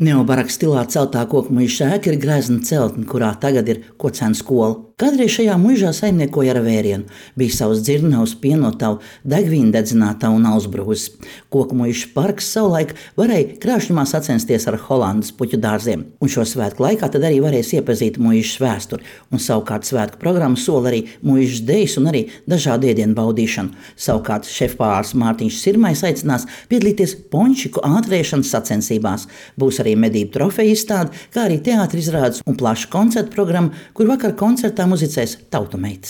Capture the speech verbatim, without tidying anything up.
Neobaraka stilā celtā koku muiža ēka ir grezna celtne, kurā tagad ir kocēna skola. Kādreiz šajā muižā saimniekoja ar vērienu. Bija savs dzirnavs, pienotavu, degvīnu dedzinātavu un ausbrūzes. Koku muiža parks savulaik varēja krāšņumā sacensties ar Holandas puķu dārziem. Un šo svētku laikā tad arī varēs iepazīt muižas vēsturi. Un savukārt svētku programma sola arī muižas dejas un arī dažādu ēdienu baudīšanu. Savukārt šefpavārs Mārtiņš Sirmais aicinās piedalīties pončiku ātrēšanas sacensībās. Būs arī medību trofeju izstāde, kā arī teātra izrādes un plaša koncerta programma, kur vakar koncertā muzicēs tautumeitas.